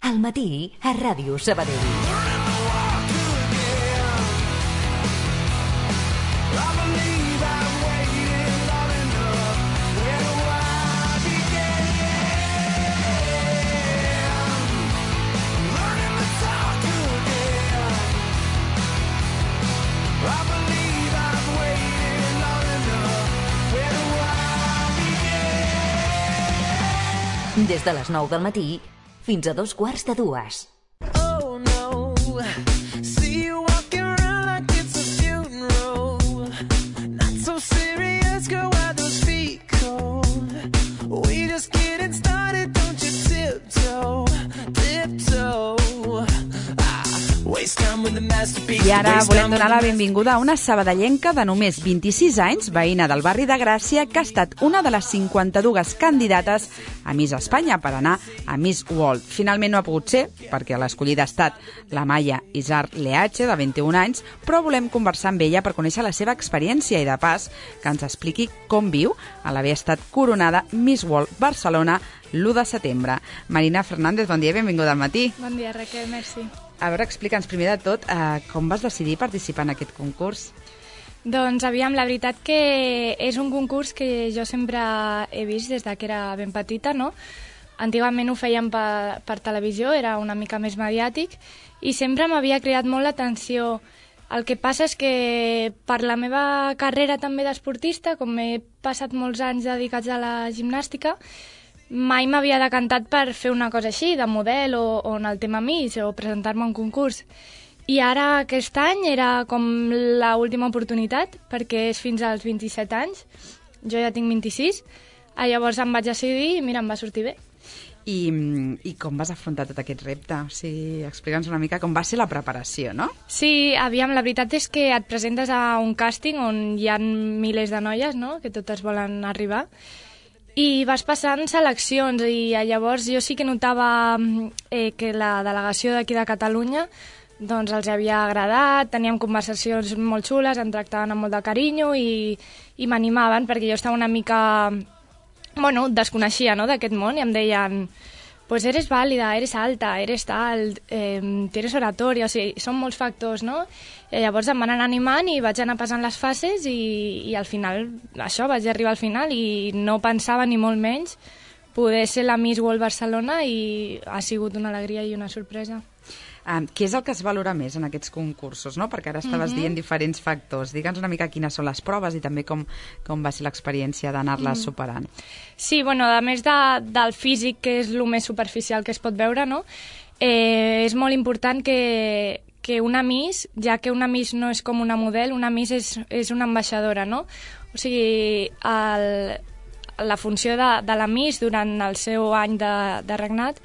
Al matí a Ràdio Sabadell. Des de les 9 del matí fins a 2:15. Oh no, see you walking around like it's a funeral. Not so serious, girl, why those feet cold? We just getting started, don't you tiptoe, tiptoe. I ara volem donar la benvinguda a una sabadellenca de només 26 anys, veïna del barri de Gràcia, que ha estat una de les 52 candidates a Miss Espanya per anar a Miss World. Finalment no ha pogut ser, perquè l'escollida ha estat la Maya Isar Leache, de 21 anys, però volem conversar amb ella per conèixer la seva experiència i, de pas, que ens expliqui com viu a l'haver estat coronada Miss World Barcelona l'1 de setembre. Marina Fernández, bon dia i benvinguda al matí. Bon dia, Raquel, merci. A veure, explica'ns primer de tot com vas decidir participar en aquest concurs. Doncs, aviam, la veritat que és un concurs que jo sempre he vist des que era ben petita, no? Antigament ho fèiem per televisió, era una mica més mediàtic, i sempre m'havia cridat molt l'atenció. El que passa és que per la meva carrera també d'esportista, com he passat molts anys dedicats a la gimnàstica, mai m'havia decantat per fer una cosa així, de model o en el tema Miss, o presentar-me a un concurs. I ara aquest any era com l'última oportunitat, perquè és fins als 27 anys, jo ja tinc 26, llavors em vaig decidir i mira, em va sortir bé. I com vas afrontar tot aquest repte? O sigui, explica'ns una mica com va ser la preparació, no? Sí, aviam, la veritat és que et presentes a un càsting on hi ha milers de noies, no?, que totes volen arribar, i vas passant seleccions, i llavors jo sí que notava que la delegació d'aquí de Catalunya doncs els havia agradat, teníem conversacions molt xules, em tractaven amb molt de carinyo i m'animaven, perquè jo estava una mica, bueno, desconeixia, no?, d'aquest món, i em deien, pues eres vàlida, eres alta, eres tal, tienes oratoria, o sigui, són molts factors, no? I llavors em van anar animant i vaig anar passant les fases i al final, això, vaig arribar al final i no pensava ni molt menys poder ser la Miss World Barcelona, i ha sigut una alegria i una sorpresa. Què és el que es valora més en aquests concursos, no? Perquè ara estaves dient diferents factors. Digue'ns una mica quines són les proves i també com va ser l'experiència d'anar-les superant. Sí, bueno, a més del físic, que és el més superficial que es pot veure, no? És molt important que una Miss, ja que una Miss no és com una model, una Miss és una ambaixadora, no? O sigui, la funció de la Miss durant el seu any de regnat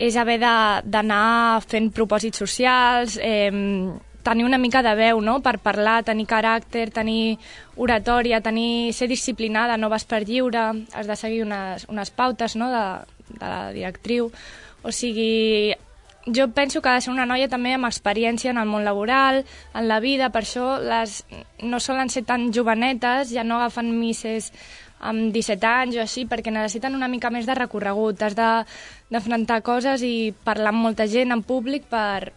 és haver d'anar fent propòsits socials, tenir una mica de veu, no?, per parlar, tenir caràcter, tenir oratòria, ser disciplinada, no vas per lliure, has de seguir unes pautes, no?, de la directriu. O sigui, jo penso que ha de ser una noia també amb experiència en el món laboral, en la vida, per això no solen ser tan jovenetes, ja no agafen misses amb 17 anys o així, perquè necessiten una mica més de recorregut, has d'afrontar coses i parlar amb molta gent en públic per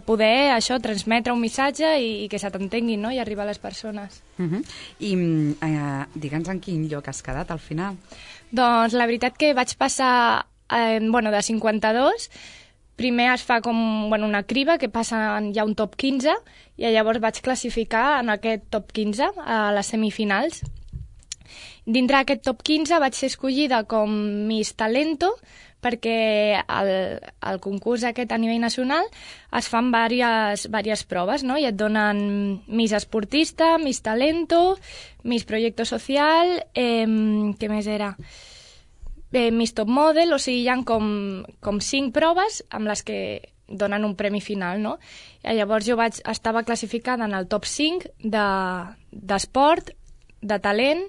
poder, això, transmetre un missatge i que se t'entenguin, no?, i arribar a les persones. I digue'ns en quin lloc has quedat al final? Doncs la veritat que vaig passar, de 52, primer es fa com una criba, que passa ja un top 15, i llavors vaig classificar en aquest top 15 a les semifinals. Dintre d'aquest top 15 vaig ser escollida com Miss Talento, perquè al concurs aquest a nivell nacional es fan diverses proves, no?, i et donen Miss Esportista, Miss Talento, Miss Proyecto Social, què més era? Miss Top Model, o sigui, hi ha com 5 proves amb les que donen un premi final, no? I llavors jo estava classificada en el top 5 d'esport, de talent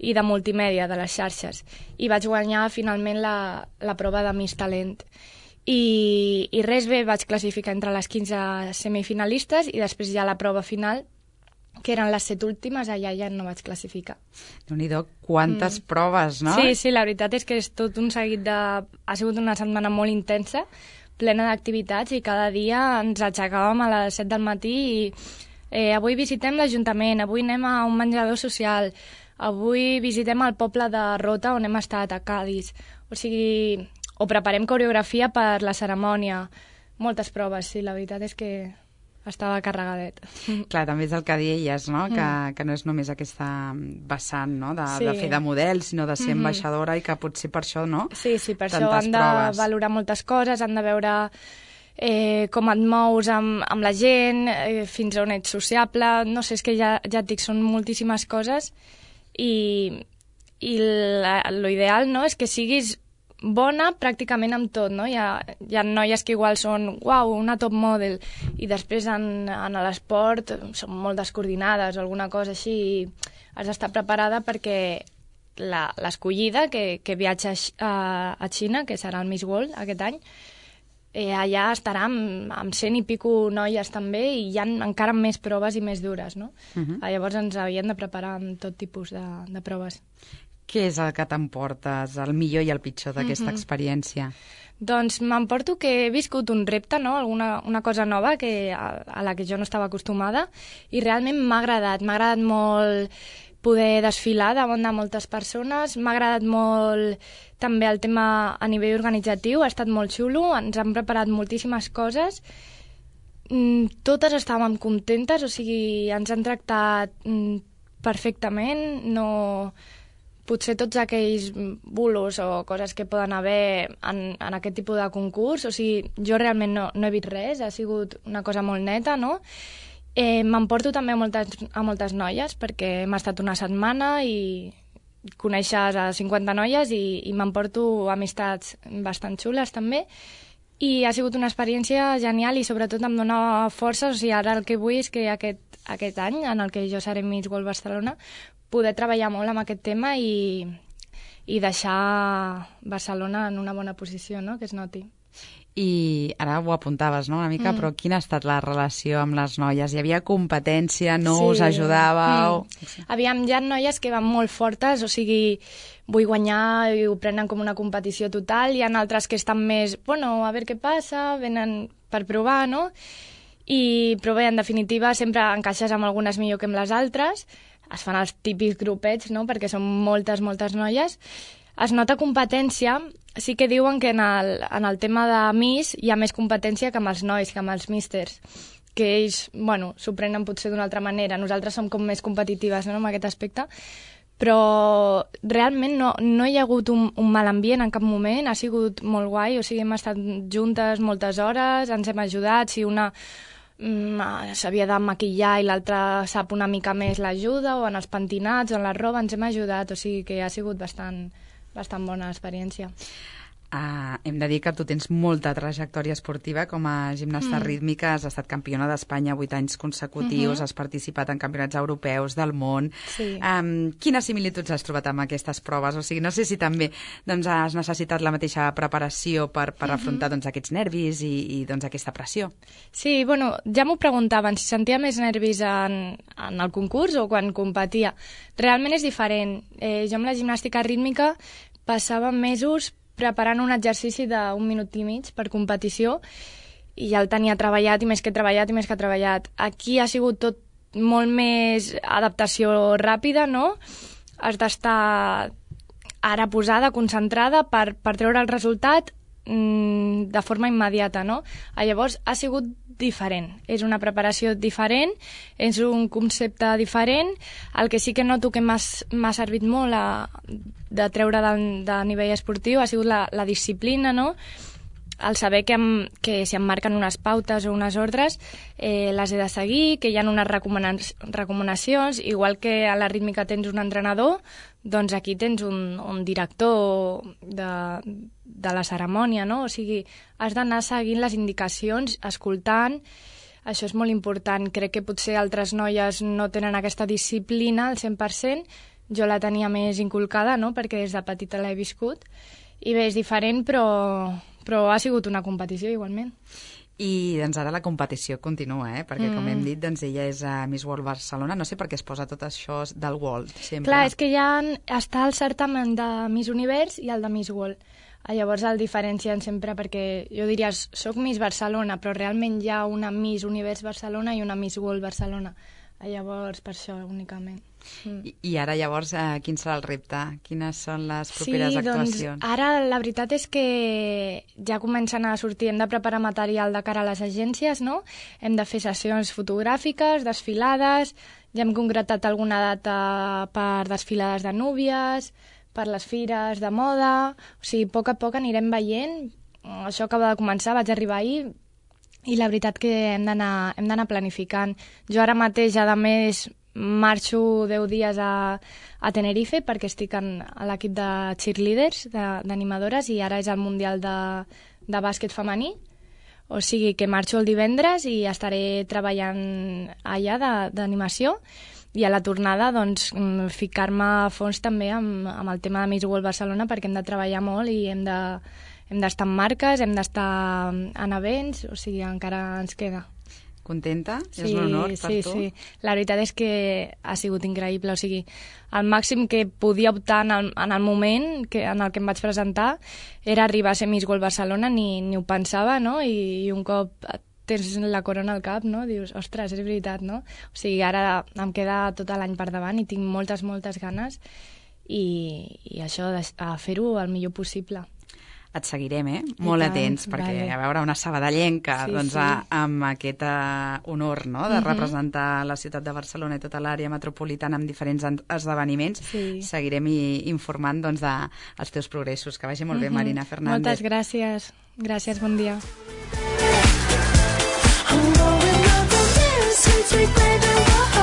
i de multimèdia, de les xarxes, i vaig guanyar finalment la prova de Miss Talent. I res, bé, vaig classificar entre les 15 semifinalistes i després ja la prova final, que eren les 7 últimes, allà ja no vaig classificar. Déu-n'hi-do, quantes proves, no? Sí, la veritat és que és tot un seguit ha sigut una setmana molt intensa, plena d'activitats i cada dia ens aixecàvem a les 7 del matí i avui visitem l'Ajuntament, avui anem a un menjador social, avui visitem el poble de Rota on hem estat, a Cádiz. O sigui, o preparem coreografia per la cerimònia. Moltes proves, sí, la veritat és que estava carregadet. Clar, també és el que deies, no? Que no és només aquesta vessant, no? de fer de model, sinó de ser ambaixadora i que potser per això, no? Sí, per això han de valorar moltes coses, han de veure com et mous amb la gent, fins on ets sociable, no sé, és que ja et dic, són moltíssimes coses i l'ideal, no?, és que siguis bona pràcticament amb tot, no? Hi ha noies que igual són, uau, una top model, i després en l'esport són molt descoordinades o alguna cosa així, i has d'estar preparada perquè l'escollida que viatja a Xina, que serà el Miss World aquest any, allà estarà amb 100 i pico noies també, i hi ha encara més proves i més dures, no? Llavors ens havien de preparar amb tot tipus de proves. Què és el que t'emportes, el millor i el pitjor d'aquesta experiència? Doncs m'emporto que he viscut un repte, no? Una cosa nova a la que jo no estava acostumada, i realment m'ha agradat molt poder desfilar davant de moltes persones, m'ha agradat molt també el tema a nivell organitzatiu, ha estat molt xulo, ens han preparat moltíssimes coses, totes estàvem contentes, o sigui, ens han tractat perfectament, no... Potser tots aquells bulos o coses que poden haver en aquest tipus de concurs, o sigui, jo realment no he vist res, ha sigut una cosa molt neta, no? M'emporto també a moltes noies, perquè hem estat una setmana i coneixes a 50 noies i m'emporto amistats bastant xules també, i ha sigut una experiència genial i sobretot em dona força, o sigui, ara el que vull és que aquest any, en el que jo seré Miss World Barcelona, poder treballar molt amb aquest tema i deixar Barcelona en una bona posició, no?, que es noti. I ara ho apuntaves, no?, una mica, però quina ha estat la relació amb les noies? Hi havia competència, no us ajudàveu? Aviam, hi ha noies que van molt fortes, o sigui, vull guanyar i ho prenen com una competició total, hi ha altres que estan més, bueno, a veure què passa, venen per provar, no? Però bé, en definitiva, sempre encaixes amb algunes millor que amb les altres, es fan els típics grupets, no?, perquè són moltes noies. Es nota competència, sí que diuen que en el tema de Miss hi ha més competència que amb els nois, que amb els místers, que ells, bueno, s'ho prenen potser d'una altra manera. Nosaltres som com més competitives, no?, en aquest aspecte, però realment no hi ha hagut un mal ambient en cap moment, ha sigut molt guai, o sigui, hem estat juntes moltes hores, ens hem ajudat, si una s'havia de maquillar i l'altra sap una mica més l'ajuda, o en els pentinats o en la roba ens hem ajudat, o sigui que ha sigut bastant bona experiència. Hem de dir que tu tens molta trajectòria esportiva com a gimnasta rítmica, has estat campiona d'Espanya 8 anys consecutius, has participat en campionats europeus del món. Sí. Quines similituds has trobat amb aquestes proves? O sigui, no sé si també has necessitat la mateixa preparació per afrontar aquests nervis i aquesta pressió. Sí, bueno, ja m'ho preguntaven, si sentia més nervis en el concurs o quan competia. Realment és diferent. Jo amb la gimnàstica rítmica passava mesos preparant un exercici d'1 minut i mig per competició i ja el tenia treballat i més que treballat. Aquí ha sigut tot molt més adaptació ràpida, no? Has d'estar ara posada, concentrada per treure el resultat de forma immediata, no? Llavors ha sigut diferent, és una preparació diferent, és un concepte diferent. El que sí que noto que m'ha servit molt de treure de nivell esportiu ha sigut la disciplina, no? El saber que si em marquen unes pautes o unes ordres les he de seguir, que hi ha unes recomanacions, igual que a la rítmica tens un entrenador, doncs aquí tens un director de la cerimònia, no? O sigui, has d'anar seguint les indicacions, escoltant. Això és molt important. Crec que potser altres noies no tenen aquesta disciplina al 100%. Jo la tenia més inculcada, no?, perquè des de petita l'he viscut. I bé, és diferent, però ha sigut una competició igualment. I doncs ara la competició continua, perquè com hem dit, doncs ella és a Miss World Barcelona. No sé per què es posa tot això del World, sempre. Clar, és que ja està el certamen de Miss Univers i el de Miss World. Llavors el diferencien sempre perquè jo diria, soc Miss Barcelona, però realment hi ha una Miss Univers Barcelona i una Miss World Barcelona. Llavors, per això únicament. I ara, llavors, quin serà el repte? Quines són les properes actuacions? Doncs ara la veritat és que ja comencen a sortir, hem de preparar material de cara a les agències, no? Hem de fer sessions fotogràfiques, desfilades, ja hem concretat alguna data per desfilades de núvies, per les fires de moda, o sigui, a poc anirem veient. Això acaba de començar, vaig arribar ahir, i la veritat que hem d'anar planificant. Jo ara mateix, a més, marxo 10 dies a Tenerife perquè estic a l'equip de cheerleaders, d'animadores, i ara és el Mundial de bàsquet femení. O sigui que marxo el divendres i estaré treballant allà d'animació, i a la tornada doncs, ficar-me a fons també amb el tema de Miss World Barcelona, perquè hem de treballar molt i hem d'estar en marques, hem d'estar en events, o sigui, encara ens queda. Contenta? Sí, és un honor per tu? Sí. La veritat és que ha sigut increïble, o sigui, el màxim que podia optar en el moment en el que em vaig presentar era arribar a ser Miss World Barcelona, ni ho pensava, no? I un cop tens la corona al cap, no? Dius, ostres, és veritat, no? O sigui, ara em queda tot l'any per davant i tinc moltes ganes, i això, a fer-ho el millor possible. Et seguirem, molt atents, perquè a veure una sabadellenca amb aquest honor, no?, de representar la ciutat de Barcelona i tota l'àrea metropolitana amb diferents esdeveniments. Seguirem informant dels teus progressos. Que vagi molt bé, Marina Fernández. Moltes gràcies. Gràcies, bon dia. I'm going up the stairs, sweet, sweet baby,